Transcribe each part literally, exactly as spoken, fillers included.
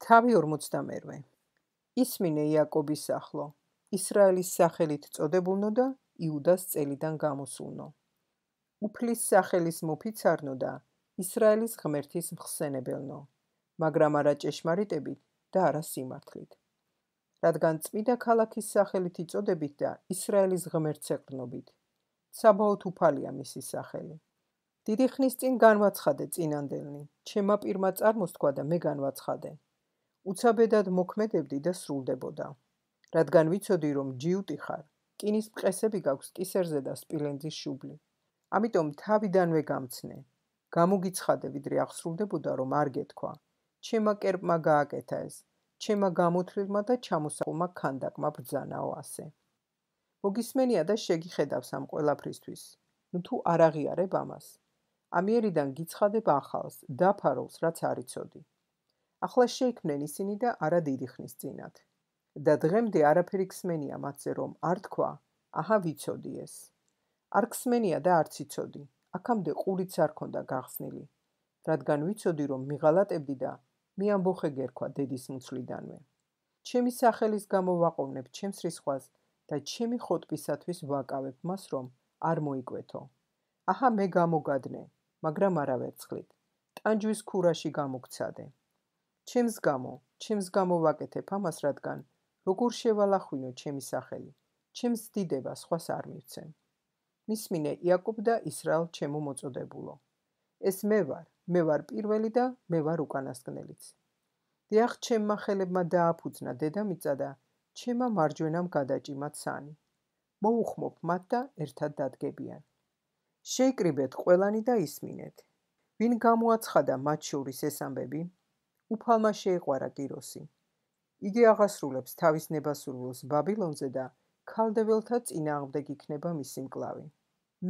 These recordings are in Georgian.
თავი ორმოცდამერვე. ისმინე იაკობის ახლო, ისრაელის სახელით წოდებულნო და იუდას წელიდან გამოსულნო. უფლის სახელის მოფიცარნო და ისრაელის ღმერთის მხსენებელნო, მაგრამ არა ჭეშმარიტებით და არა სიმართლით. რადგან წმიდა ქალაქის სახელით იწოდებით და ისრაელის ღმერთს ეყრდნობით, საბაოთ უფალია მისი სახელი. დიდი ხნის წინ განვაცხადე წინანდელნი, ჩემმა პირმა წარმოსთქვა და მე განვაცხადე. უცაბედად მოქმედებდი და სრულდებოდა. რადგან ვიცოდი, რომ ჯიუტი ხარ, რკინის მყესები გაქვს კისერზე და სპილენძის შუბლი. ამიტომ თავიდანვე გამცნე. გამოგიცხადე, ვიდრე აღსრულდებოდა, რომ არ გეთქვა. ჩემმა კერპმა გააკეთა ეს, ჩემმა გამოთვლილმა და ჩამოსაყულმა ქანდაკმა ბრძანაო ასე. მოგისმენია და შეგიხედავს ამ ყველაფრისთვის. ნუ თუ არ აღიარებ ამას. ამიერიდან გიცხადებ ახალს, დაფაროლს, რაც არ იცოდი. ახლა შეიქმნენ ისინი და არა დიდი ხნის წინათ. და დღემდე არაფერი ქსმენია მათზე, რომ არ თქვა, აჰა ვიცოდი ეს. არ ქსმენია და არც იცოდი, აქამდე ყურიც არ ქონდა გახსნილი, რადგან ვიცოდი, რომ მიღალატებდი და მე ამბოხე გერქვა დედის მუცლიდანვე. ჩემი სახელის გამო ვაყოვნებ ჩემს რისხვას და ჩემი ხოტბისათვის ვაკავებ მას, რომ არ მოიკვეთო. აჰა მე გამოგადნე, მაგრამ არა ვერცხლით, ტანჯვის ქურაში გამოგცადე. ჩემს გამო, ჩემს გამო ვაკეთებ ამას, რადგან როგორ შევალახვინო ჩემი სახელი, ჩემს დიდება სხვას არ მივცემ. მისმინე იაკობ და ისრაელ ჩემო მოწოდებულო. ეს მე ვარ, მე ვარ პირველი და მე ვარ უკანასკნელიც. დიახ, ჩემმა ხელებმა დააფუძნა დედამიწა და ჩემმა მარჯვენამ გადაჭიმა ცანი. მოუხმობ მათ და ერთად დადგებიან. შეიკრიბეთ ყველანი და ისმინეთ. ვინ გამოაცხადა მათ შორის ეს ამბები? უფალმა შეიყვარა კიროსი. იგი აღასრულებს თავის ნებასურვილს ბაბილონზე და ქალდეველთა წინააღმდეგ იქნება მისი მკლავი.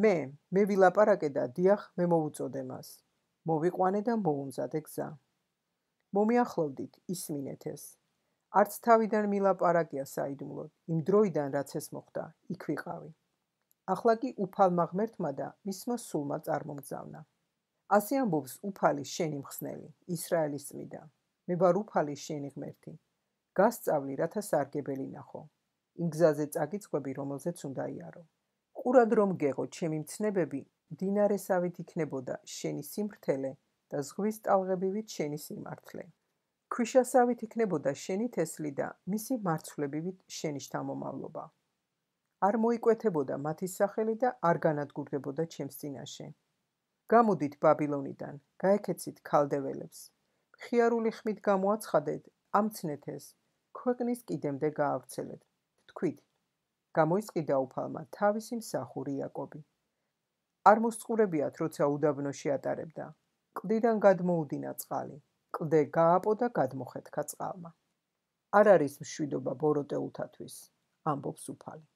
მე, მე ვილაპარაკე და დიახ, მე მოვუწოდე მას. მოვიყვანე და მოუმზადე გზა. მომიახლოვდით, ისმინეთ ეს. არც თავიდან მილაპარაკია საიდუმლოდ, იმ დროიდან რაც ეს მოხდა, იქ ვიყავი. ახლა კი უფალმა ღმერთმა და მისმა სულმა წარმომგზავნა. ასე ამბობს უფალი შენი მხსნელი, ისრაელის წმიდა. მე ვარ უფალი შენი ღმერთი. გასწავლი, რათა სარგებელი ნახო. იმ გზაზე წაგიწყები, რომელზეც უნდა იარო. ყურად რომ გეღო ჩემი მცნებები, მდინარესავით იქნებოდა შენი სიმრთელე და ზღვის ტალღებივით შენი სიმართლე. ქვიშასავით იქნებოდა შენი თესლი და მისი მარცვლებივით შენი შთამომავლობა. არ მოიკვეთებოდა მათი სახელი და არ განადგურდებოდა ჩემს წინაშე. გამოდით ბაბილონიდან, გაეკეცით ქალდეველებს. მხიარული ხმით გამოაცხადეთ, ამცნეთ ეს, ქვეყნის კიდემდე გაავრცელეთ. თქვით, გამოისყიდა უფალმა თავისი მსახური იაკობი. არ მოსწყურებიათ, როცა უდაბნოში ატარებდა. კლდიდან გადმოუდინა წყალი, კლდე გააპო და გადმოხეთქა წყალმა. არ არის მშვიდობა ბოროტეულთათვის, ამბობს უფალი.